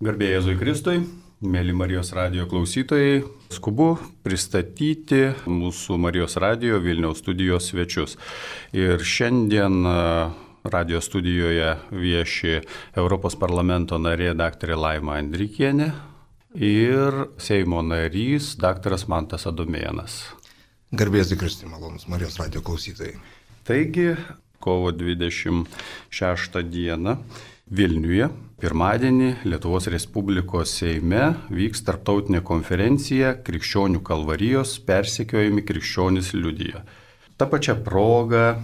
Garbė Jėzui Kristui, mėly Marijos radijo klausytojai, skubu pristatyti mūsų Marijos radijo Vilniaus studijos svečius. Ir šiandien radijo studijoje vieši Europos parlamento narė dr. Laima Andrikienė ir Seimo narys dr. Mantas Adomėnas. Garbė Jėzui Kristui, malonūs Marijos radijo klausytojai. Taigi, kovo 26 dieną Vilniuje, pirmadienį Lietuvos Respublikos Seime vyks tarptautinė konferencija Krikščionių kalvarijos persekiojami krikščionys liudija. Ta pačia proga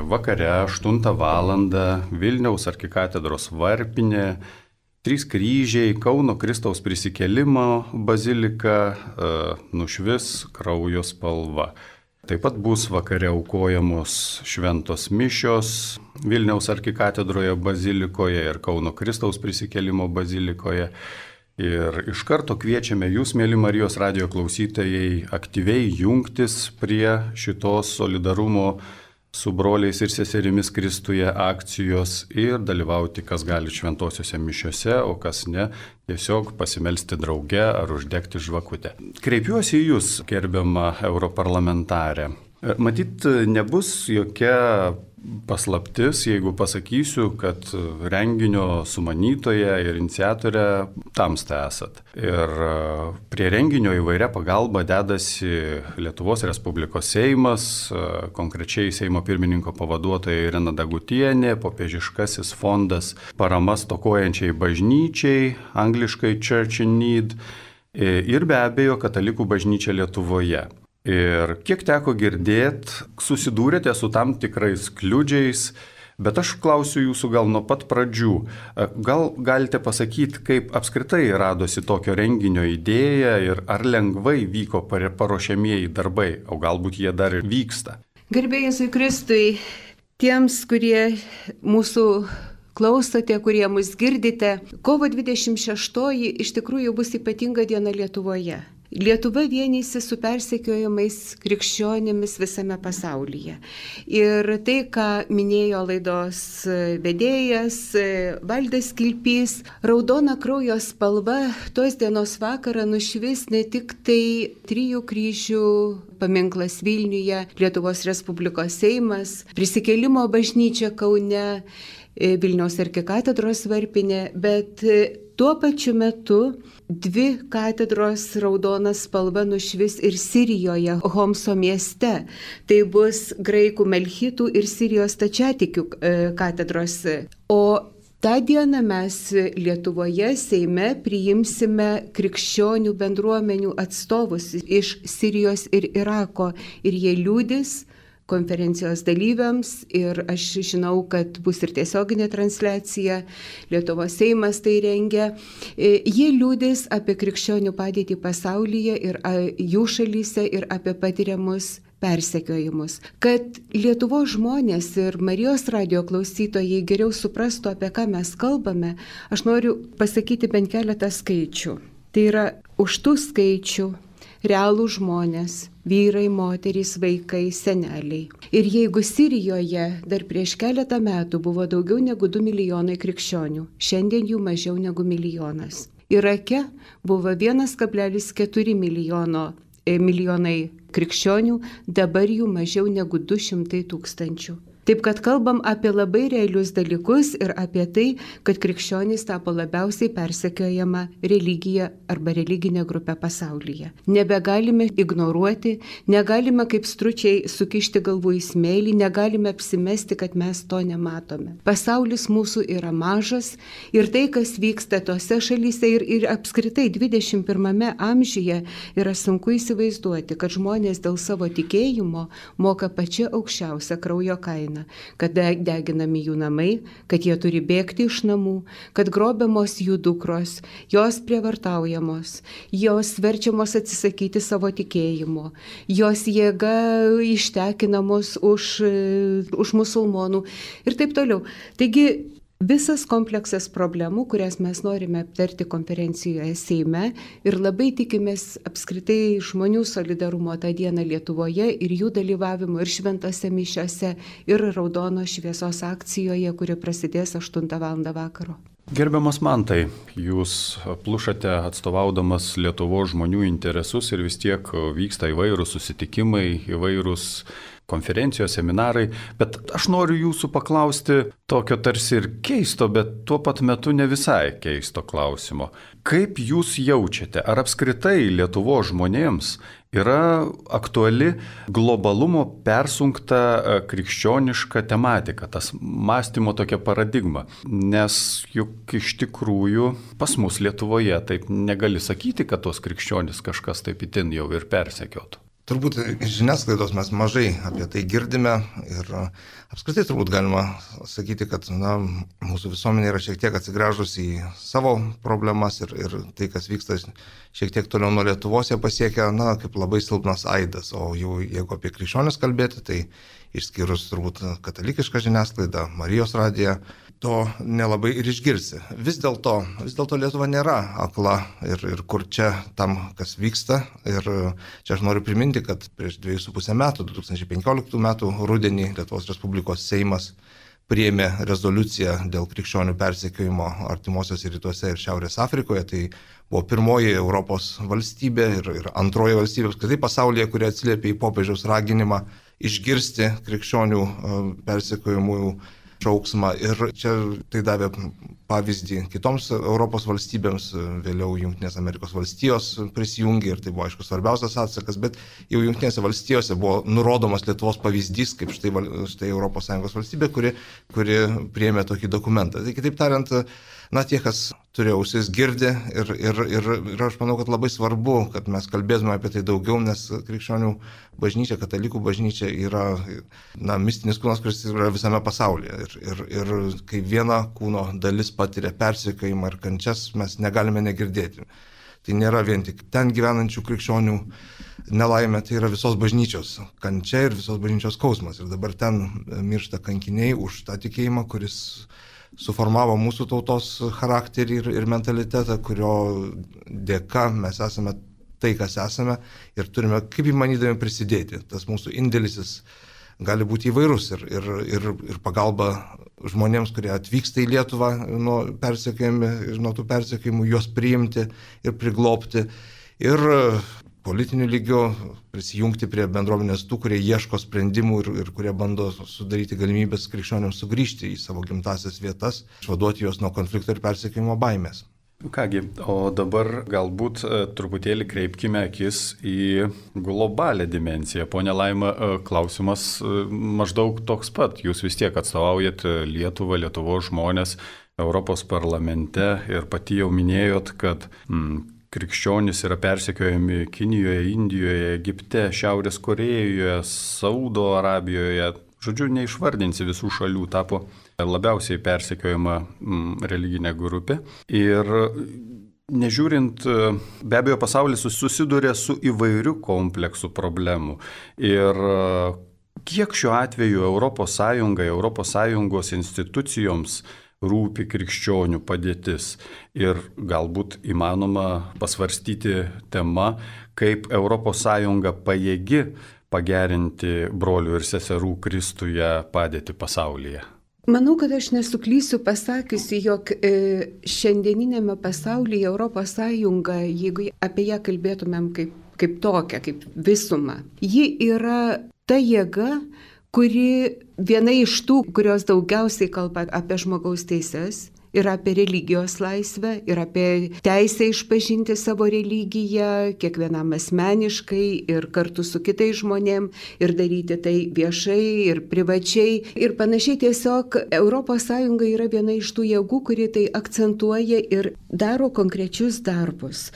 vakare 8 val. Vilniaus arkikatedros varpinė, 3 kryžiai, Kauno Kristaus prisikėlimo bazilika nušvis kraujo spalva. Taip pat bus vakare aukojamos šventos mišios Vilniaus arkikatedroje bazilikoje ir Kauno Kristaus prisikėlimo bazilikoje. Ir iš karto kviečiame jūs, mėly Marijos radijo klausytojai, aktyviai jungtis prie šitos solidarumo su broliais ir seserimis Kristuje akcijos ir dalyvauti, kas gali šventosiuose mišiuose, o kas ne, tiesiog pasimelsti drauge ar uždegti žvakutę. Kreipiuosi į jūs, gerbiama europarlamentarė. Matyt, nebus jokia paslaptis, jeigu pasakysiu, kad renginio sumanytoja ir iniciatorė tamsta esat. Ir prie renginio įvairia pagalba dedasi Lietuvos Respublikos Seimas, konkrečiai Seimo pirmininko pavaduotoja Irena Dagutienė, popiežiškasis fondas parama stokojančiai bažnyčiai, angliškai Church in Need, ir be abejo Katalikų bažnyčia Lietuvoje. Ir kiek teko girdėti, susidūrėte su tam tikrais kliudžiais, bet aš klausiu jūsų gal nuo pat pradžių. Gal galite pasakyti, kaip apskritai radosi tokio renginio idėja ir ar lengvai vyko paruošiamieji darbai, o galbūt jie dar ir vyksta? Garbė Jėzui Kristui, tiems, kurie mūsų klausote, kurie mus girdite, kovo 26 iš tikrųjų bus ypatinga diena Lietuvoje. Lietuva vienysi su persekiojamais krikščionimis visame pasaulyje. Ir tai, ką minėjo laidos vedėjas Valdas Kilpys, raudona kraujo spalva tos dienos vakarą nušvis ne tik tai 3 kryžių paminklas Vilniuje, Lietuvos Respublikos Seimas, Prisikėlimo bažnyčia Kaune, Vilniaus arkikatedros varpinė, bet tuo pačiu metu 2 katedros raudona spalva nušvis ir Sirijoje, Homso mieste. Tai bus graikų melchitų ir Sirijos stačiatikių katedros. O tą dieną mes Lietuvoje Seime priimsime krikščionių bendruomenių atstovus iš Sirijos ir Irako ir jie liudys konferencijos dalyviams ir aš žinau, kad bus ir tiesioginė transliacija, Lietuvos Seimas tai rengia. Jie liudys apie krikščionių padėtį pasaulyje ir jų šalyse ir apie patiriamus persekiojimus. Kad Lietuvos žmonės ir Marijos radijo klausytojai geriau suprastų, apie ką mes kalbame, aš noriu pasakyti bent keletą skaičių. Tai yra už tų skaičių realų žmonės, vyrai, moterys, vaikai, seneliai. Ir jeigu Sirijoje dar prieš keletą metų buvo daugiau negu 2 milijonai krikščionių, šiandien jų mažiau negu 1 milijonas. Irake buvo 1,4 milijonai krikščionių, dabar jų mažiau negu 200 tūkstančių. Taip kad kalbam apie labai realius dalykus ir apie tai, kad krikščionys tapo labiausiai persekiojama religija arba religinė grupė pasaulyje. Nebegalime ignoruoti, negalime kaip stručiai sukišti galvų į smėlį, negalime apsimesti, kad mes to nematome. Pasaulis mūsų yra mažas ir tai, kas vyksta tose šalyse ir apskritai 21 amžiuje yra sunku įsivaizduoti, kad žmonės dėl savo tikėjimo moka pačią aukščiausią kraujo kainą. Kad deginami jų namai, kad jie turi bėgti iš namų, kad grobiamos jų dukros, jos prievartaujamos, jos verčiamos atsisakyti savo tikėjimo, jos jėga ištekinamos už musulmonų ir taip toliau. Taigi, visas kompleksas problemų, kurias mes norime aptarti konferencijoje Seime ir labai tikimės apskritai žmonių solidarumo tą dieną Lietuvoje ir jų dalyvavimo ir šventose mišiose ir raudonos šviesos akcijoje, kuri prasidės 8 val. Vakaro. Gerbiamas Mantai, jūs plušate atstovaudamas Lietuvos žmonių interesus ir vis tiek vyksta įvairūs susitikimai, įvairūs konferencijos, seminarai, bet aš noriu jūsų paklausti tokio tarsi ir keisto, bet tuo pat metu ne visai keisto klausimo. Kaip jūs jaučiate, ar apskritai Lietuvos žmonėms yra aktuali globalumo persunkta krikščioniška tematika, tas mąstymo tokia paradigma? Nes juk iš tikrųjų pas mus Lietuvoje taip negali sakyti, kad tos krikščionys kažkas taip itin jau ir persekiotų. Turbūt iš žiniasklaidos mes mažai apie tai girdime ir apskritai turbūt galima sakyti, kad mūsų visuomenė yra šiek tiek atsigręžusi į savo problemas ir tai, kas vyksta šiek tiek toliau nuo Lietuvos, jie pasiekia kaip labai silpnas aidas, o jau jeigu apie krikščionis kalbėti, tai išskyrus turbūt katalikišką žiniasklaidą, Marijos radiją, to nelabai ir išgirsi. Vis dėlto Lietuva nėra akla ir kur čia tam, kas vyksta. Ir čia aš noriu priminti, kad prieš 2,5 metų, 2015 metų rudenį Lietuvos Respublikos Seimas priėmė rezoliuciją dėl krikščionių persekiojimo artimuosiuose rytuose ir Šiaurės Afrikoje. Tai buvo pirmoji Europos valstybė ir antroji valstybė apskritai pasaulyje, kuri atsiliepė į popiežiaus raginimą išgirsti krikščionių persekiojimų šauksmą. Ir čia tai davė pavyzdį kitoms Europos valstybėms, vėliau Jungtinės Amerikos valstijos prisijungė ir tai buvo aišku svarbiausias atsakas, bet jau Jungtinėse valstijose buvo nurodomas Lietuvos pavyzdys, kaip štai ES valstybė, kuri priėmė tokį dokumentą. Tai kitaip tariant, tie, kas turi ausis, girdi ir aš manau, kad labai svarbu, kad mes kalbėtume apie tai daugiau, nes krikščionių bažnyčia, katalikų bažnyčia yra mistinis kūnas, kuris yra visame pasaulyje. Ir kai viena kūno dalis patiria persekiojimą ir kančias, mes negalime negirdėti. Tai nėra vien tik ten gyvenančių krikščionių nelaimė, tai yra visos bažnyčios kančia ir visos bažnyčios skausmas. Ir dabar ten miršta kankiniai už tą tikėjimą, kuris suformavo mūsų tautos charakterį ir mentalitetą, kurio dėka mes esame tai, kas esame ir turime, kaip įmanydami, prisidėti. Tas mūsų indėlis gali būti įvairus ir pagalba žmonėms, kurie atvyksta į Lietuvą nuo tų persekiojimų, juos priimti ir priglobti ir politiniu lygiu prisijungti prie bendruomenės tų, kurie ieško sprendimų ir kurie bando sudaryti galimybės krikščioniams sugrįžti į savo gimtasias vietas, išvaduoti juos nuo konflikto ir persekiojimo baimės. Kągi, o dabar galbūt truputėlį kreipkime akis į globalią dimensiją. Pone Laima, klausimas maždaug toks pat. Jūs vis tiek atstovaujat Lietuvą, Lietuvos žmonės Europos parlamente ir pati jau minėjot, kad krikščionys yra persekiojami Kinijoje, Indijoje, Egipte, Šiaurės Korėjoje, Saudo Arabijoje. Žodžiu, neišvardinsi visų šalių, tapo labiausiai persekiojama religinė grupė. Ir nežiūrint, be abejo, pasaulis susiduria su įvairiu kompleksu problemų. Ir kiek šiuo atveju ES institucijoms rūpi krikščionių padėtis ir galbūt įmanoma pasvarstyti tema, kaip ES pajėgi pagerinti brolių ir seserų Kristuje padėtį pasaulyje. Manau, kad aš nesuklysiu pasakiusi, jog šiandieninėme pasaulyje ES, jeigu apie ją kalbėtumėm kaip tokią, kaip visumą, ji yra ta jėga, kuri viena iš tų, kurios daugiausiai kalba apie žmogaus teises ir apie religijos laisvę, ir apie teisę išpažinti savo religiją kiekvienam asmeniškai ir kartu su kitais žmonėm ir daryti tai viešai ir privačiai ir panašiai. Tiesiog ES yra viena iš tų jėgų, kuri tai akcentuoja ir daro konkrečius darbus,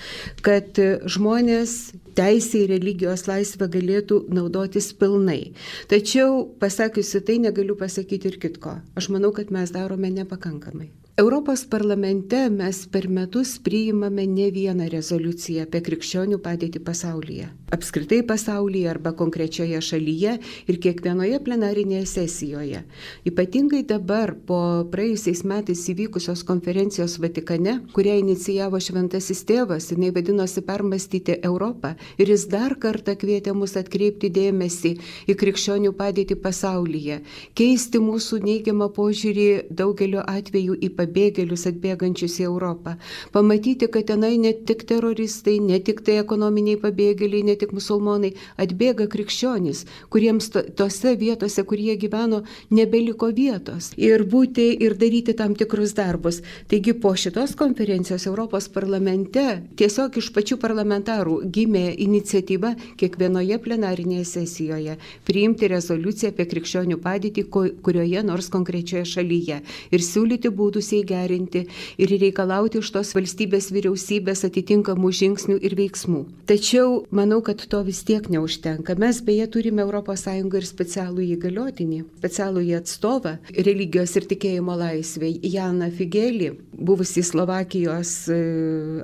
kad žmonės teisė į religijos laisvę galėtų naudotis pilnai. Tačiau pasakiusi tai negaliu pasakyti ir kitko. Aš manau, kad mes darome nepakankamai. Europos parlamente mes per metus priimame ne vieną rezoliuciją apie krikščionių padėtį pasaulyje. Apskritai pasaulyje arba konkrečioje šalyje ir kiekvienoje plenarinėje sesijoje. Ypatingai dabar po praėjusiais metais įvykusios konferencijos Vatikane, kurią inicijavo Šventasis Tėvas, jinai vadinosi Permąstyti Europą ir jis dar kartą kvietė mus atkreipti dėmesį į krikščionių padėtį pasaulyje, keisti mūsų neigiamą požiūrį daugeliu atveju į pabėgėlius atbėgančius į Europą, pamatyti, kad tenai ne tik teroristai, ne tik tai ekonominiai pabėgėliai, ne tik musulmonai, atbėga krikščionys, kuriems tose vietose, kur jie gyveno, nebeliko vietos ir būti ir daryti tam tikrus darbus. Taigi po šitos konferencijos Europos parlamente tiesiog iš pačių parlamentarų gimė iniciatyva kiekvienoje plenarinėje sesijoje priimti rezoliuciją apie krikščionių padėtį kurioje nors konkrečioje šalyje ir siūlyti būdus jai gerinti ir reikalauti iš tos valstybės vyriausybės atitinkamų žingsnių ir veiksmų. Tačiau manau, kad to vis tiek neužtenka. Mes beje turime ES ir specialų įgaliotinį, specialų atstovą religijos ir tikėjimo laisvė Janą Figelį, buvusį Slovakijos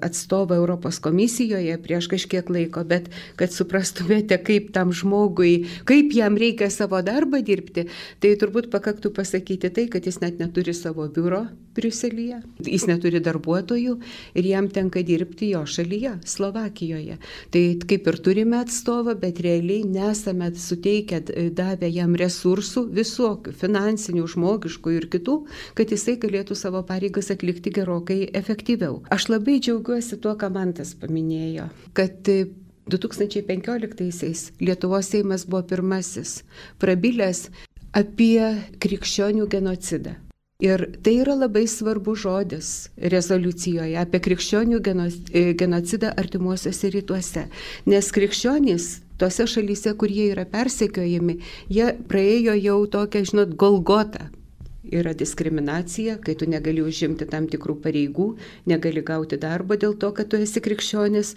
atstovą Europos komisijoje prieš kažkiek laiko, bet kad suprastumėte, kaip tam žmogui, kaip jam reikia savo darbą dirbti, tai turbūt pakaktų pasakyti tai, kad jis net neturi savo biuro Briuselyje, jis neturi darbuotojų ir jam tenka dirbti jo šalyje, Slovakijoje. Tai kaip ir turime atstovą, bet realiai nesame suteikę, davę jam resursų visokių, finansinių, žmogiškų ir kitų, kad jisai galėtų savo pareigas atlikti gerokai efektyviau. Aš labai džiaugiuosi tuo, ką Mantas paminėjo, kad 2015-aisiais Lietuvos Seimas buvo pirmasis prabilęs apie krikščionių genocidą. Ir tai yra labai svarbus žodis rezoliucijoje apie krikščionių genocidą artimuosiuose rytuose. Nes krikščionys tose šalyse, kur jie yra persekiojami, jie praėjo jau tokią, Golgotą. Yra diskriminacija, kai tu negali užimti tam tikrų pareigų, negali gauti darbo dėl to, kad tu esi krikščionis.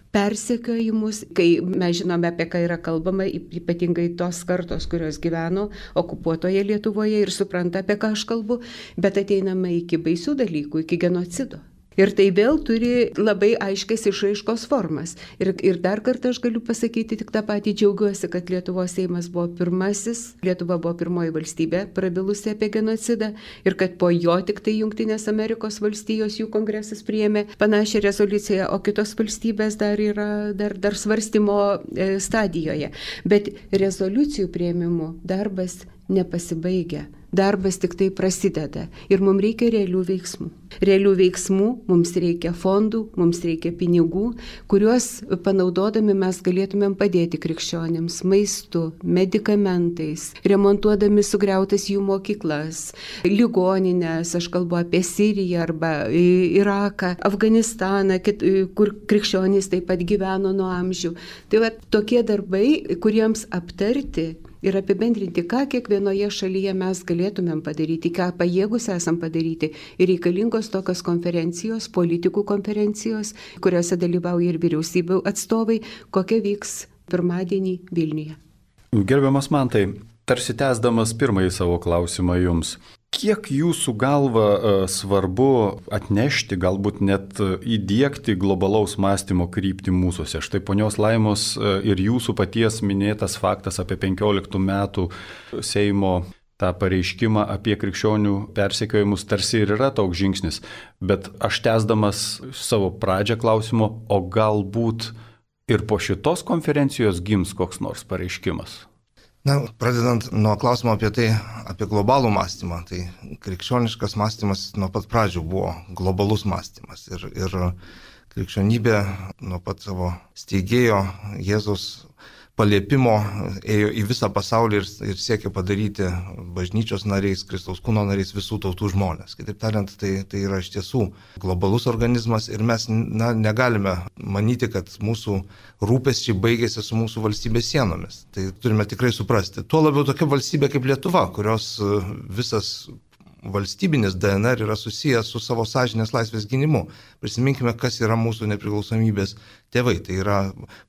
Persekiojimus, kai mes žinome, apie ką yra kalbama, ypatingai tos kartos, kurios gyveno okupuotoje Lietuvoje ir supranta, apie ką aš kalbu, bet ateiname iki baisių dalykų, iki genocido. Ir tai vėl turi labai aiškias išraiškos formas. Ir dar kartą aš galiu pasakyti tik tą patį, džiaugiuosi, kad Lietuvos Seimas buvo pirmasis, Lietuva buvo pirmoji valstybė prabilusi apie genocidą ir kad po jo tik tai Jungtinės Amerikos valstijos, jų kongresas priėmė panašią rezoliuciją, o kitos valstybės dar yra dar svarstymo stadijoje. Bet rezoliucijų priėmimų darbas nepasibaigia. Darbas tik tai prasideda ir mums reikia realių veiksmų. Realių veiksmų, mums reikia fondų, mums reikia pinigų, kuriuos panaudodami mes galėtumėm padėti krikščionėms maistu, medikamentais, remontuodami sugriautas jų mokyklas, ligoninės, aš kalbu apie Siriją arba Iraką, Afganistaną, kur krikščionys taip pat gyveno nuo amžių. Tai va, tokie darbai, kuriems aptarti ir apibendrinti, ką kiekvienoje šalyje mes galėtumėm padaryti, ką pajėgus esam padaryti. Ir reikalingos tokios konferencijos, politikų konferencijos, kuriuose dalyvauja ir vyriausybių atstovai, kokia vyks pirmadienį Vilniuje. Gerbiamas Mantai, tarsi tęsdamas pirmąjį savo klausimą jums, kiek jūsų galva svarbu atnešti, galbūt net įdiegti globalaus mąstymo kryptį mūsuose? Štai ponios Laimos ir jūsų paties minėtas faktas apie 15 metų Seimo tą pareiškimą apie krikščionių persekiojimus tarsi ir yra toks žingsnis. Bet aš tęsdamas savo pradžią klausimo, o galbūt ir po šitos konferencijos gims koks nors pareiškimas? Na, pradedant nuo klausimo apie tai, apie globalų mąstymą, tai krikščioniškas mąstymas nuo pat pradžių buvo globalus mąstymas ir krikščionybė nuo pat savo steigėjo Jėzaus paliepimo ėjo į visą pasaulį ir siekė padaryti bažnyčios nariais, Kristaus kūno nariais visų tautų žmonės. Kitaip tariant, tai yra iš tiesų globalus organizmas ir mes negalime manyti, kad mūsų rūpesčiai baigėsi su mūsų valstybės sienomis. Tai turime tikrai suprasti. Tuo labiau tokia valstybė kaip Lietuva, kurios visas valstybinis DNR yra susijęs su savo sąžinės laisvės gynimu. Prisiminkime, kas yra mūsų nepriklausomybės tėvai. Tai yra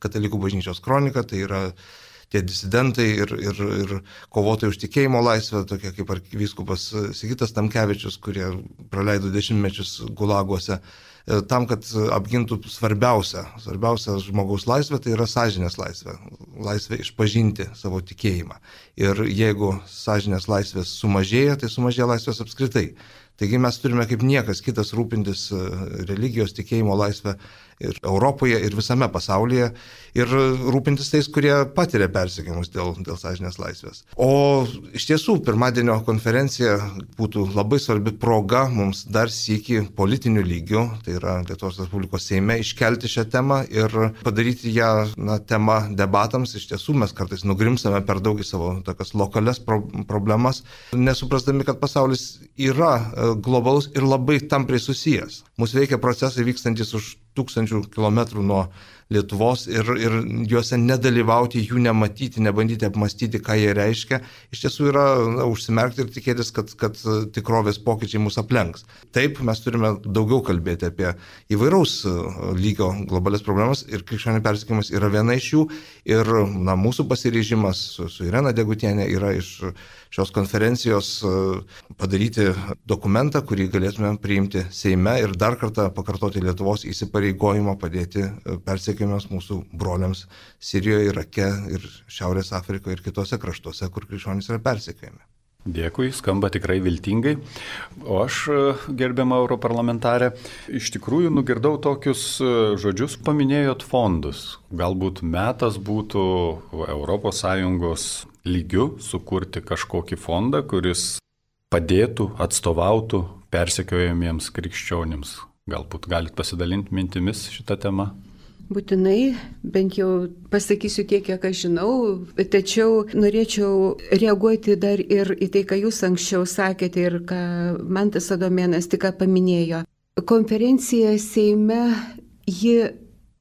Katalikų bažnyčios kronika, tai yra tie disidentai ir kovotojai už tikėjimo laisvę, tokie kaip arkivyskupas Sigitas Tamkevičius, kurie praleido 10 mečius gulaguose, tam, kad apgintų svarbiausia žmogaus laisvė, tai yra sąžinės laisvė. Laisvė išpažinti savo tikėjimą. Ir jeigu sąžinės laisvės sumažėja, tai sumažėja laisvės apskritai. Taigi mes turime kaip niekas kitas rūpintis religijos tikėjimo laisvę ir Europoje, ir visame pasaulyje, ir rūpintis tais, kurie patiria persekiojimus dėl sąžinės laisvės. O iš tiesų, pirmadienio konferencija būtų labai svarbi proga mums dar sykį politiniu lygiu, tai yra Lietuvos Respublikos Seime, iškelti šią temą ir padaryti ją tema debatams. Iš tiesų, mes kartais nugrimstame per daug į savo tokias lokalias problemas, nesuprasdami, kad pasaulis yra globalus ir labai tampriai susijęs. Mūsų veikia procesai vykstantis už 1000 kilometrų nuo Lietuvos ir juose nedalyvauti, jų nematyti, nebandyti apmastyti, ką jie reiškia, iš tiesų yra užsimerkti ir tikėtis, kad tikrovės pokyčiai mus aplenks. Taip, mes turime daugiau kalbėti apie įvairaus lygio globalias problemas ir krikščionių persekiojimas yra viena iš jų ir mūsų pasiryžimas su Irena Degutienė yra iš šios konferencijos padaryti dokumentą, kurį galėtume priimti Seime ir dar kartą pakartoti Lietuvos įsipareigojimą padėti persekiojimams mūsų broliams Sirijoje, Irake ir Šiaurės Afrikoje ir kitose kraštuose, kur krikščionys yra persekiojami. Dėkui, skamba tikrai viltingai. O aš, gerbiama europarlamentarė, iš tikrųjų nugirdau tokius žodžius, paminėjot fondus. Galbūt metas būtų ES lygiu sukurti kažkokį fondą, kuris padėtų, atstovautų persekiojamiems krikščionims. Galbūt galit pasidalinti mintimis šitą temą? Būtinai, bent jau pasakysiu tiek, kiek aš žinau, tačiau norėčiau reaguoti dar ir į tai, ką jūs anksčiau sakėte ir ką Mantas Adomėnas tik paminėjo. Konferencija Seime, ji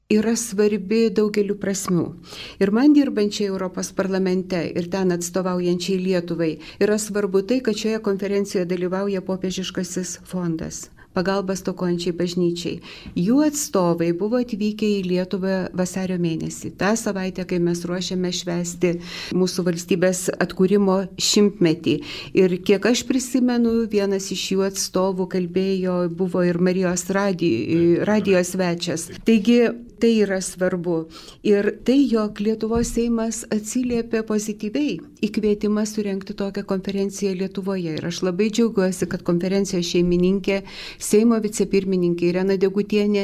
yra svarbi daugeliu prasmių. Ir man dirbančiai Europos parlamente ir ten atstovaujančiai Lietuvai yra svarbu tai, kad šioje konferencijoje dalyvauja popiežiškasis fondas pagalba stokojančiai bažnyčiai. Jų atstovai buvo atvykę į Lietuvą vasario mėnesį. Ta savaitė, kai mes ruošiame švęsti mūsų valstybės atkūrimo 100-metį. Ir kiek aš prisimenu, vienas iš jų atstovų kalbėjo, buvo ir Marijos radijos svečias. Taigi, tai yra svarbu. Ir tai, jog Lietuvos Seimas atsiliepė pozityviai į kvietimą surengti tokią konferenciją Lietuvoje. Ir aš labai džiaugiuosi, kad konferencijos šeimininkė, Seimo vicepirmininkė Irena Degutienė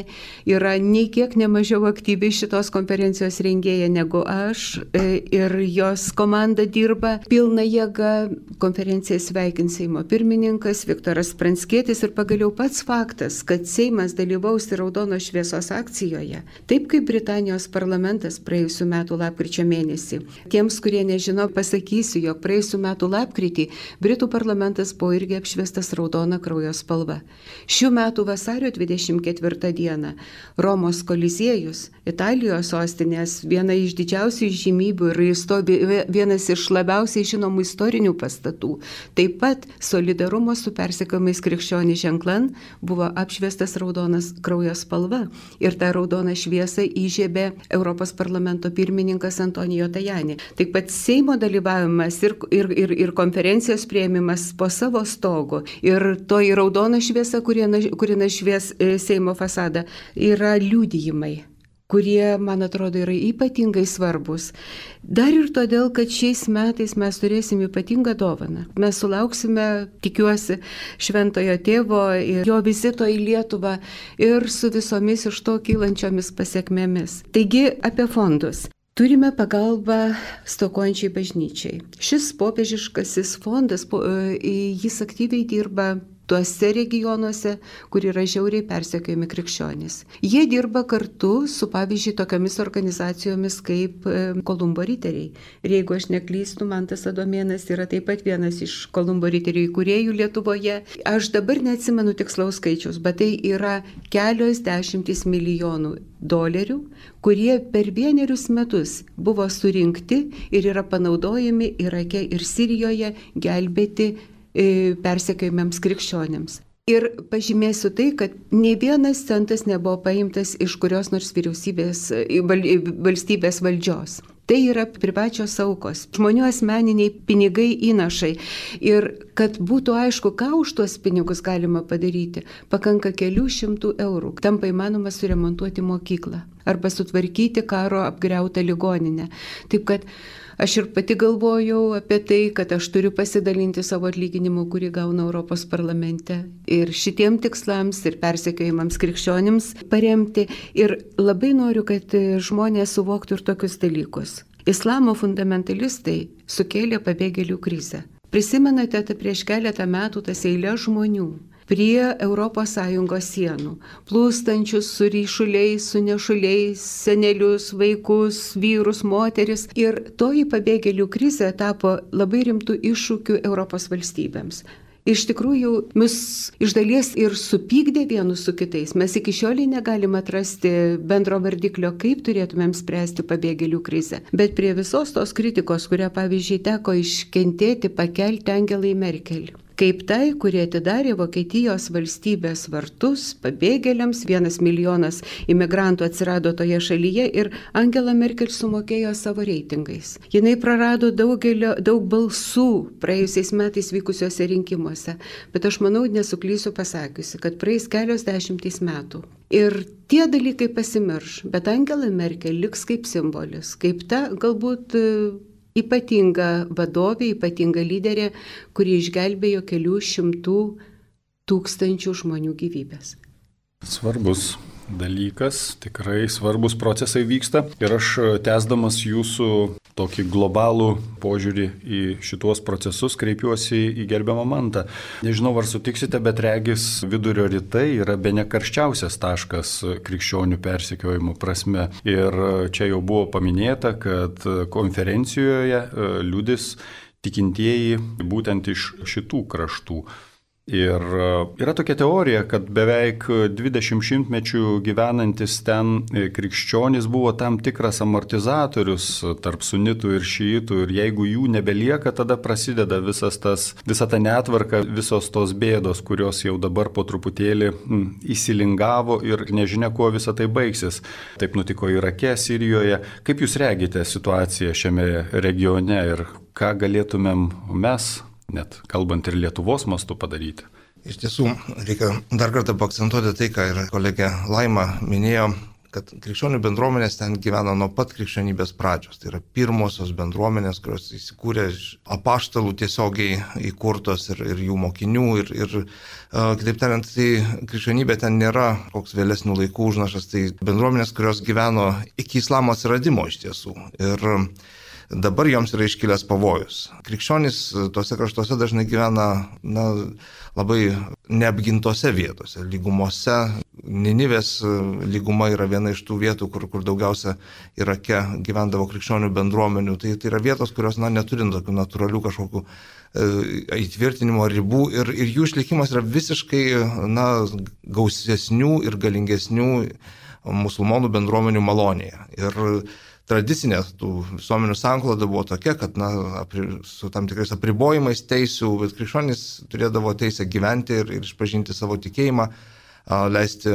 yra nei kiek nemažiau aktyvi šitos konferencijos rengėja negu aš. Ir jos komanda dirba pilna jėga. Konferenciją sveikins Seimo pirmininkas Viktoras Pranckietis ir pagaliau pats faktas, kad Seimas dalyvaus raudonos šviesos akcijoje. Taip kaip Britanijos parlamentas praėjusių metų lapkričio mėnesį. Tiems, kurie nežino, pasakysiu, jog praėjusių metų lapkritį Britų parlamentas buvo irgi apšviestas raudona kraujo spalva. Šių metų vasario 24 dieną Romos Koliziejus, Italijos sostinės, viena iš didžiausių žymybių ir vienas iš labiausiai žinomų istorinių pastatų, taip pat solidarumo su persekiojamais krikščionys ženklan buvo apšviestas raudonas kraujo spalva. Ir tą raudoną šviesą įžiebė Europos parlamento pirmininkas Antonijo Tajani. Taip pat Seimo dalyvavimas ir konferencijos priėmimas po savo stogu ir toji raudona šviesa, kuri nušvies Seimo fasadą, yra liudijimai, kurie, man atrodo, yra ypatingai svarbus. Dar ir todėl, kad šiais metais mes turėsim ypatingą dovaną. Mes sulauksime, tikiuosi, Šventojo Tėvo ir jo vizito į Lietuvą ir su visomis iš to kylančiomis pasiekmėmis. Taigi, apie fondus. Turime pagalbą stokojančiai bažnyčiai. Šis popiežiškasis fondas, jis aktyviai dirba tuose regionuose, kur yra žiauriai persekiojami krikščionys. Jie dirba kartu su, pavyzdžiui, tokiamis organizacijomis kaip Kolumbo riteriai. Ir jeigu aš neklystu, Mantas Adomėnas yra taip pat vienas iš Kolumbo riterių įkūrėjų Lietuvoje. Aš dabar neatsimenu tikslaus skaičiaus, bet tai yra kelios dešimtys milijonų dolerių, kurie per 1 metus buvo surinkti ir yra panaudojami Irake ir Sirijoje gelbėti persekiojamiems krikščionėms. Ir pažymėsiu tai, kad ne vienas centas nebuvo paimtas iš kurios nors valstybės valdžios. Tai yra privačios aukos, žmonių asmeniniai pinigai įnašai. Ir kad būtų aišku, ką už tuos pinigus galima padaryti, pakanka kelių šimtų eurų. Tampa įmanoma suremontuoti mokyklą arba sutvarkyti karo apgriautą ligoninę. Taip kad Aš ir pati galvojau apie tai, kad aš turiu pasidalinti savo atlyginimu, kurį gaunu Europos parlamente. Ir šitiem tikslams ir persekiojimams krikščionims paremti. Ir labai noriu, kad žmonės suvoktų ir tokius dalykus. Islamo fundamentalistai sukėlė pabėgėlių krizę. Prisimenate, prieš keletą metų tas eilės žmonių prie ES sienų, plūstančius su ryšuliais, su nešuliais, senelius, vaikus, vyrus, moteris. Ir toji pabėgėlių krizė tapo labai rimtų iššūkių Europos valstybėms. Iš tikrųjų, mus iš dalies ir supykdė vienus su kitais. Mes iki šiolei negalim atrasti bendro vardiklio, kaip turėtumėm spręsti pabėgėlių krizę. Bet prie visos tos kritikos, kurią, pavyzdžiui, teko iškentėti, pakelti Angelai Merkel. Kaip tai, kurie atidarė Vokietijos valstybės vartus pabėgėliams, 1 milijonas imigrantų atsirado toje šalyje ir Angela Merkel sumokėjo savo reitingais. Jinai prarado daug balsų praėjusiais metais vykusiuose rinkimuose, bet aš manau, nesuklysiu pasakiusi, kad praeis kelios dešimtys metų. Ir tie dalykai pasimirš, bet Angela Merkel liks kaip simbolis, kaip ta galbūt ypatinga vadovė, ypatinga lyderė, kuri išgelbėjo kelių šimtų tūkstančių žmonių gyvybės. Svarbus dalykas, tikrai svarbus procesai vyksta. Ir aš tęsdamas jūsų tokį globalų požiūrį į šituos procesus kreipiuosi į gerbiamą Mantą. Nežinau, ar sutiksite, bet regis Vidurio rytai yra bene karščiausias taškas krikščionių persekiojimo prasme. Ir čia jau buvo paminėta, kad konferencijoje liudys tikintieji būtent iš šitų kraštų. Ir yra tokia teorija, kad beveik 20 šimtmečių gyvenantis ten krikščionys buvo tam tikras amortizatorius tarp sunitų ir šiitų, ir jeigu jų nebelieka, tada prasideda visa ta netvarka, visos tos bėdos, kurios jau dabar po truputėlį įsilingavo ir nežinia, kuo visa tai baigsis. Taip nutiko Irake, Sirijoje. Kaip jūs regite situaciją šiame regione ir ką galėtumėm mes, net kalbant ir Lietuvos mastu, padaryti? Iš tiesų, reikia dar kartą paakcentuoti tai, ką ir kolegė Laima minėjo, kad krikščionių bendruomenės ten gyvena nuo pat krikščionybės pradžios. Tai yra pirmosios bendruomenės, kurios įsikūrė apaštalų tiesiogiai įkurtos ir jų mokinių. Ir kitaip tariant, tai krikščionybė ten nėra koks vėlesnių laikų užnašas, tai bendruomenės, kurios gyveno iki islamo atsiradimo iš tiesų. Ir dabar joms yra iškilęs pavojus. Krikščionys tose kraštuose dažnai gyvena labai neapgintose vietose, lygumose. Ninivės lyguma yra viena iš tų vietų, kur daugiausia Irake gyvendavo krikščionių bendruomenių. Tai yra vietos, kurios neturint tokių natūralių kažkokių įtvirtinimo ribų ir jų išlikimas yra visiškai gausesnių ir galingesnių musulmonų bendruomenių malonėje. Ir tradicinė tų visuomenių sankloda buvo tokia, kad su tam tikrais apribojimais teisių, bet krikščionys turėdavo teisę gyventi ir išpažinti savo tikėjimą, leisti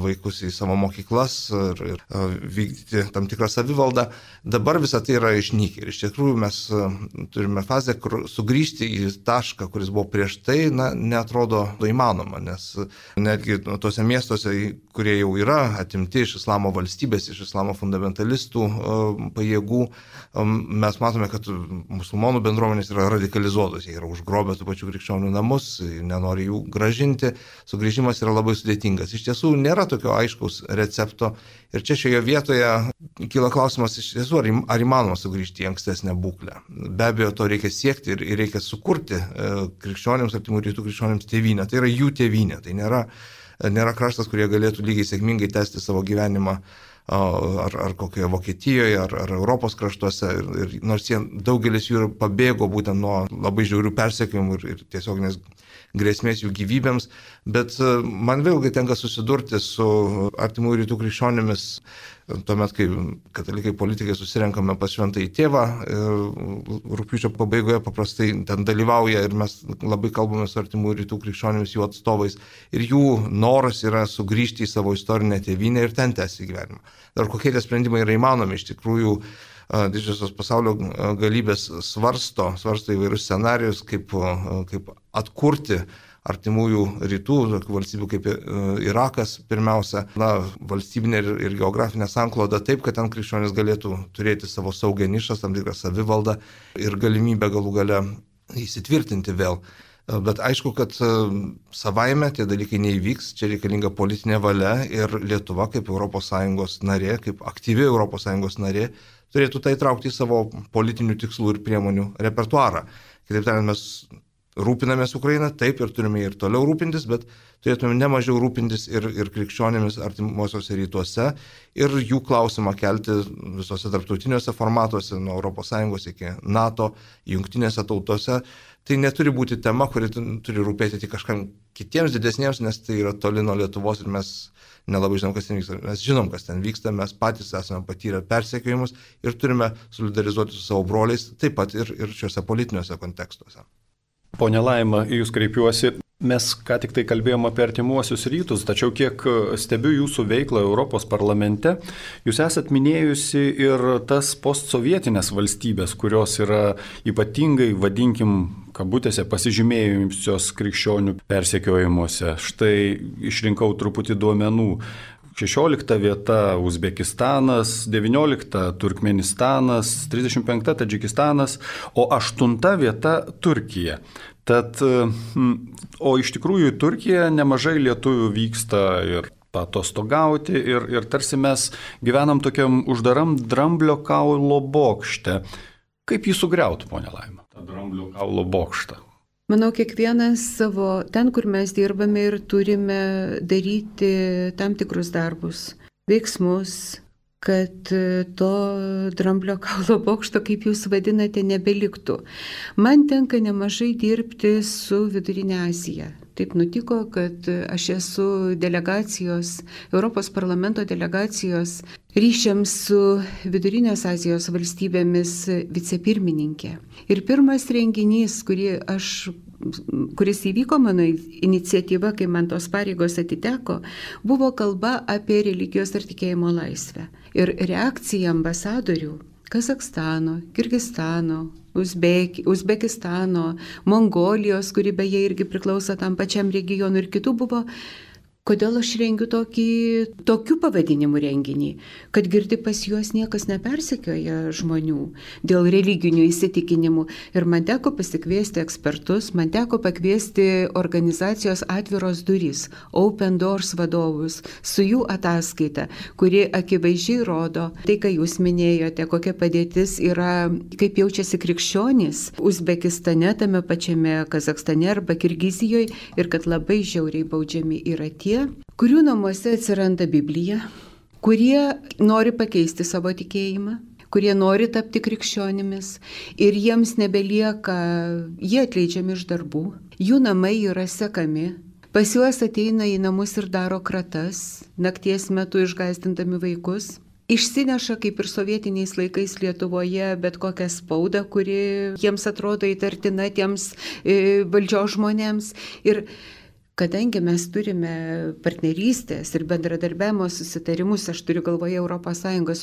vaikus į savo mokyklas ir vykdyti tam tikrą savivaldą. Dabar visą tai yra išnykę. Ir iš tikrųjų mes turime fazę, kur sugrįžti į tašką, kuris buvo prieš tai, neatrodo įmanoma, nes netgi tose miestuose, kurie jau yra atimti iš islamo valstybės, iš islamo fundamentalistų pajėgų, mes matome, kad musulmonų bendruomenės yra radikalizuotos, jie yra užgrobę tų pačių krikščionių namus, nenori jų gražinti, sugrįžimas yra labai sudėtingas. Iš tiesų nėra tokio aiškaus recepto ir čia šioje vietoje kyla klausimas iš tiesų, ar įmanoma sugrįžti į ankstesnę būklę. Be abejo, to reikia siekti ir reikia sukurti krikščionims, artimų rytų krikščionims tėvynę. Tai yra jų tėvynė, tai nėra kraštas, kurie galėtų lygiai sėkmingai tęsti savo gyvenimą ar kokioje Vokietijoje, ar Europos kraštuose. Ir nors daugelis jų pabėgo būtent nuo labai žiaurių persekiojimų ir tiesioginės grėsmės jų gyvybėms, bet man vėlgi tenka susidurti su artimų rytų krikščionimis, tuomet, kai katalikai politikai susirenkame pas šventąjį tėvą, rugpjūčio pabaigoje paprastai ten dalyvauja ir mes labai kalbame su artimų rytų krikščionimis, jų atstovais, ir jų noras yra sugrįžti į savo istorinę tėvynę ir ten tęsti gyvenimą. Dar kokie tie sprendimai yra įmanomi, iš tikrųjų didžiosios pasaulio galybės svarsto įvairius scenarijus, kaip atkurti artimųjų rytų, valstybių kaip Irakas pirmiausia, valstybinė ir geografinė sankloda taip, kad ten krikščionys galėtų turėti savo saugią nišą, tam tikrą savivaldą ir galimybę galų gale įsitvirtinti vėl. Bet aišku, kad savaime tie dalykai neįvyks, čia reikalinga politinė valia ir Lietuva kaip ES narė, kaip aktyvi ES narė, turėtų tai traukti į savo politinių tikslų ir priemonių repertuarą. Kitaip tariant, mes rūpinamės Ukrainą, taip ir turime ir toliau rūpintis, bet turėtume nemažiau rūpintis ir krikščionimis artimuosiuose rytuose ir jų klausimą kelti visose tarptautiniuose formatuose, nuo ES iki NATO, jungtinėse tautose. Tai neturi būti tema, kuri turi rūpėti tik kažkam kitiems didesniems, nes tai yra toli nuo Lietuvos ir mes nelabai žinom, kas ten vyksta. Mes žinom, kas ten vyksta, mes patys esame patyrę persekiojimus ir turime solidarizuoti su savo broliais, taip pat ir šiuose politiniuose kontekstuose. Pone Laima, į jūs kreipiuosi. Mes ką tik tai kalbėjome apie artimuosius rytus, tačiau kiek stebiu jūsų veiklą Europos parlamente, jūs esat minėjusi ir tas postsovietinės valstybės, kurios yra ypatingai, vadinkim, kabutėse pasižymėjusios krikščionių persekiojimuose. Štai išrinkau truputį duomenų. 16 vieta Uzbekistanas, 19 Turkmenistanas, 35 Tadžikistanas, o 8 vieta Turkija. Tad, o iš tikrųjų į Turkiją nemažai lietuvių vyksta ir atostogauti ir tarsi mes gyvenam tokiam uždaram dramblio kaulo bokšte. Kaip jį sugriauti, ponia Laima, tą dramblio kaulo bokštą? Manau, kiekvienas savo, ten, kur mes dirbame ir turime daryti tam tikrus darbus, veiksmus, kad to dramblio kaulo bokšto, kaip jūs vadinate, nebeliktų. Man tenka nemažai dirbti su Vidurinė Azija. Taip nutiko, kad aš esu delegacijos, Europos parlamento delegacijos ryšiams su Vidurinės Azijos valstybėmis vicepirmininkė. Ir pirmas renginys, kuris įvyko mano iniciatyva, kai man tos pareigos atiteko, buvo kalba apie religijos ir tikėjimo laisvę. Ir reakcija ambasadorių Kazakstano, Kirgizstano, Uzbekistano, Mongolijos, kuri beje irgi priklauso tam pačiam regionui ir kitų buvo, kodėl aš rengiu tokiu pavadinimu renginį, kad girdi pas juos niekas nepersekioja žmonių dėl religinių įsitikinimų. Ir man teko pasikviesti ekspertus, man teko pakviesti organizacijos Atviros durys, Open Doors vadovus, su jų ataskaita, kuri akivaizdžiai rodo tai, ką jūs minėjote, kokia padėtis yra, kaip jaučiasi krikščionys Uzbekistane, tame pačiame Kazakstane arba Kirgizijoje ir kad labai žiauriai baudžiami yra tie, kurių namuose atsiranda Biblija, kurie nori pakeisti savo tikėjimą, kurie nori tapti krikščionimis ir jiems nebelieka, jie atleidžiami iš darbų, jų namai yra sekami, pas juos ateina į namus ir daro kratas, nakties metu išgąsdindami vaikus. Išsineša, kaip ir sovietiniais laikais Lietuvoje, bet kokią spaudą, kuri jiems atrodo įtartina tiems valdžios žmonėms. Ir kadangi mes turime partnerystės ir bendradarbiavimo susitarimus, aš turiu galvoje ES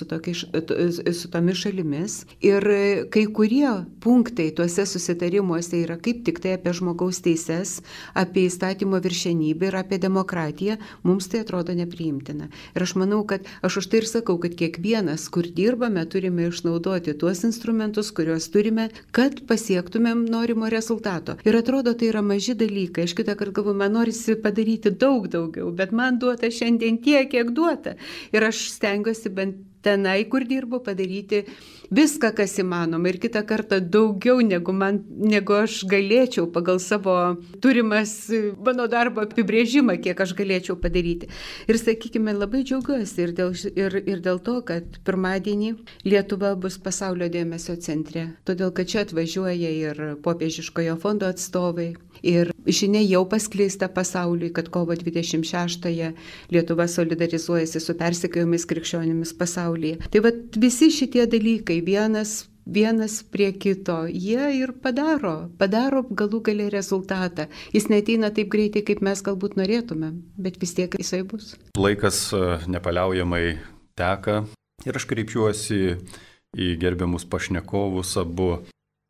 su tomis šalimis, ir kai kurie punktai tuose susitarimuose yra kaip tik tai apie žmogaus teises, apie įstatymo viršenybę ir apie demokratiją, mums tai atrodo nepriimtina. Ir aš manau, kad aš už tai ir sakau, kad kiekvienas, kur dirbame, turime išnaudoti tuos instrumentus, kuriuos turime, kad pasiektumėm norimo rezultato. Ir atrodo, tai yra maži dalykai. Aš kitą kartą galvoju, norisi padaryti daug daugiau, bet man duota šiandien tiek, kiek duota. Ir aš stengiuosi bent tenai, kur dirbu, padaryti viską, kas įmanoma. Ir kitą kartą daugiau, negu aš galėčiau pagal savo turimas mano darbo apibrėžimą, kiek aš galėčiau padaryti. Ir sakykime, labai džiaugiuosi ir dėl to, kad pirmadienį Lietuva bus pasaulio dėmesio centre. Todėl, kad čia atvažiuoja ir Popiežiškojo fondo atstovai. Ir žinia jau paskleista pasauliui, kad kovo 26-ąją Lietuva solidarizuojasi su persekiojimais krikščionimis pasaulyje. Tai vat visi šitie dalykai vienas prie kito, jie ir padaro galų gale rezultatą. Jis neateina taip greitai, kaip mes galbūt norėtume, bet vis tiek jisai bus. Laikas nepaliaujamai teka ir aš kreipiuosi į gerbiamus pašnekovus abu.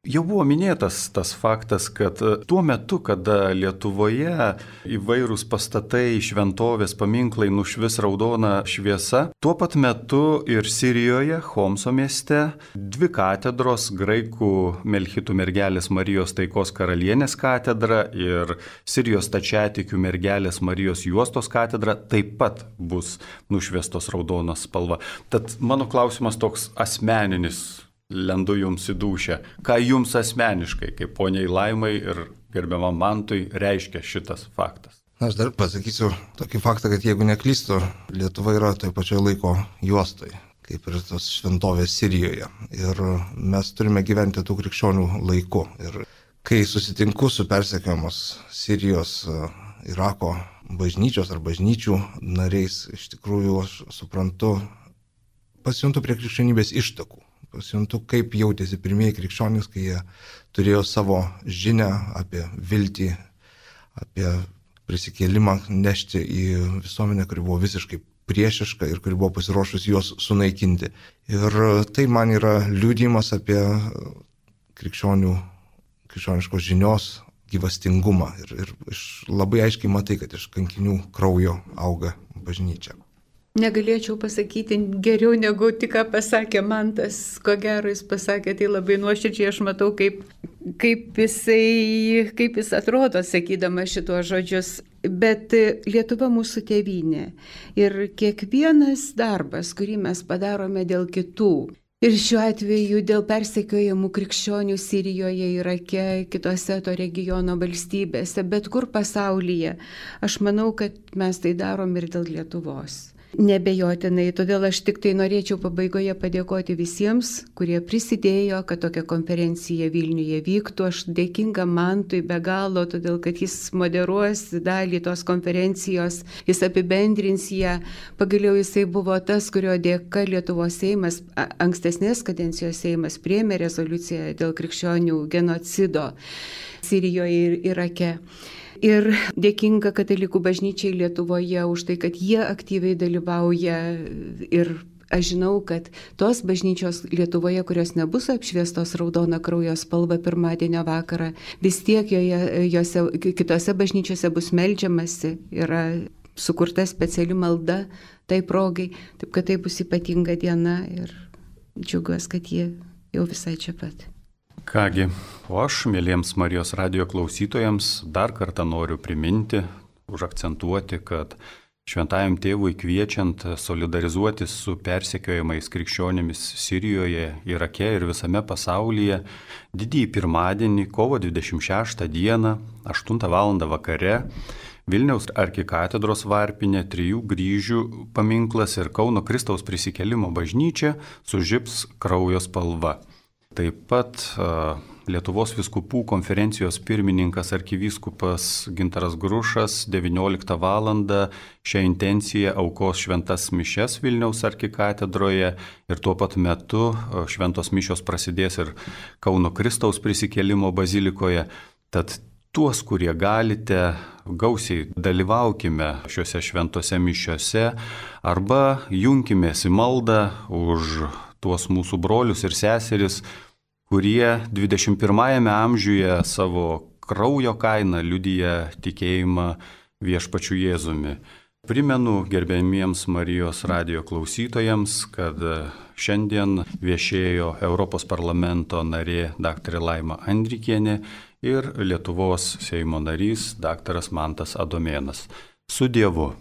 Jau buvo minėtas tas faktas, kad tuo metu, kada Lietuvoje įvairūs pastatai, šventovės, paminklai nušvis raudona šviesa, tuo pat metu ir Sirijoje, Homso mieste, 2 katedros, graikų Melchitų mergelės Marijos taikos karalienės katedra ir Sirijos stačiatikių mergelės Marijos juostos katedra taip pat bus nušviestos raudonos spalva. Tad mano klausimas toks asmeninis. Lendu jums į dūšią. Ką jums asmeniškai, kaip poniai Laimai ir gerbiamam Mantui, reiškia šitas faktas? Aš dar pasakysiu tokį faktą, kad jeigu neklystu, Lietuva yra toje pačioje laiko juostoje, kaip ir tos šventovės Sirijoje. Ir mes turime gyventi tų krikščionių laiku. Ir kai susitinku su persekiojamos Sirijos, Irako bažnyčios ar bažnyčių nariais, iš tikrųjų aš suprantu, pasijuntu prie krikščionybės ištakų. Pasijuntu, kaip jautėsi pirmieji krikščionys, kai jie turėjo savo žinią apie viltį, apie prisikėlimą nešti į visuomenę, kuri buvo visiškai priešiška ir kuri buvo pasiruošusi juos sunaikinti. Ir tai man yra liudijimas apie krikščioniškos žinios gyvastingumą. Ir labai aiškiai matai, kad iš kankinių kraujo auga bažnyčia. Negalėčiau pasakyti geriau negu tik ką pasakė Mantas. Ko gero jis pasakė tai labai nuoširdžiai, aš matau, kaip jis atrodo sakydamas šituos žodžius. Bet Lietuva mūsų tėvynė ir kiekvienas darbas, kurį mes padarome dėl kitų, ir šiuo atveju dėl persekiojamų krikščionių Sirijoje, Irake, kitose to regiono valstybėse, bet kur pasaulyje, aš manau, kad mes tai darom ir dėl Lietuvos. Nebejotinai, todėl aš tik tai norėčiau pabaigoje padėkoti visiems, kurie prisidėjo, kad tokia konferencija Vilniuje vyktų. Aš dėkinga Mantui be galo, todėl kad jis moderuos dalį tos konferencijos, jis apibendrins ją. Pagaliau jisai buvo tas, kurio dėka Lietuvos Seimas, ankstesnės kadencijos Seimas priėmė rezoliuciją dėl krikščionių genocido Sirijoje ir Irake. Ir dėkinga Katalikų bažnyčiai Lietuvoje už tai, kad jie aktyviai dalyvauja. Ir aš žinau, kad tos bažnyčios Lietuvoje, kurios nebus apšviestos raudona kraujo spalva pirmadienio vakarą, vis tiek kitose bažnyčiose bus meldžiamasi, yra sukurta speciali malda tai progai, taip kad tai bus ypatinga diena ir džiaugiuosi, kad jie jau visai čia pat. Kągi, o aš, mėlyjams Marijos radijo klausytojams, dar kartą noriu priminti, užakcentuoti, kad Šventajam Tėvui kviečiant solidarizuotis su persekiojamais krikščionimis Sirijoje, Irake ir visame pasaulyje, didįjį pirmadienį, kovo 26 dieną, 8 val. Vakare, Vilniaus arkikatedros varpinė, 3 kryžių paminklas ir Kauno Kristaus prisikėlimo bažnyčia sužibs kraujo spalva. Taip pat Lietuvos vyskupų konferencijos pirmininkas arkivyskupas Gintaras Grušas 19 val. Šią intenciją aukos šventas mišias Vilniaus arkikatedroje ir tuo pat metu šventos mišios prasidės ir Kauno Kristaus prisikėlimo bazilikoje. Tad tuos, kurie galite, gausiai dalyvaukime šiuose šventose mišiose arba junkimės į maldą už tuos mūsų brolius ir seseris, kurie 21 amžiuje savo kraujo kainą liudija tikėjimą viešpačiu Jėzumi. Primenu gerbėmiems Marijos radijo klausytojams, kad šiandien viešėjo Europos parlamento narė dr. Laima Andrikienė ir Lietuvos Seimo narys dr. Mantas Adomėnas. Su Dievu.